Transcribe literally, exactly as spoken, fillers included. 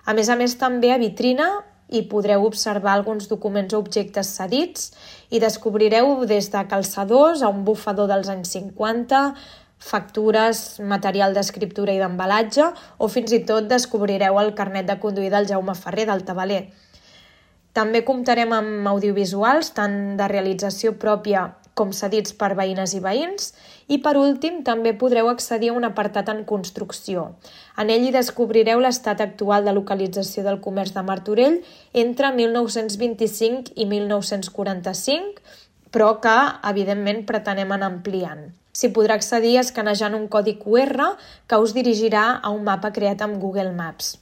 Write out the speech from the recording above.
A més a més, també a Vitrina hi podreu observar alguns documents o objectes cedits i descobrireu des de calçadors a un bufador dels anys cinquanta, factures, material d'escriptura i d'embalatge, o fins i tot descobrireu el carnet de conduir del Jaume Ferrer del Tabaler. També comptarem amb audiovisuals, tant de realització pròpia com cedits per veïnes i veïns, i per últim també podreu accedir a un apartat en construcció. En ell hi descobrireu l'estat actual de localització del comerç de Martorell entre mil nou-cents vint-i-cinc i mil nou-cents quaranta-cinc, però que, evidentment, pretenem anar ampliant. S'hi podrà accedir escanejant un codi cu erre que us dirigirà a un mapa creat amb Google Maps.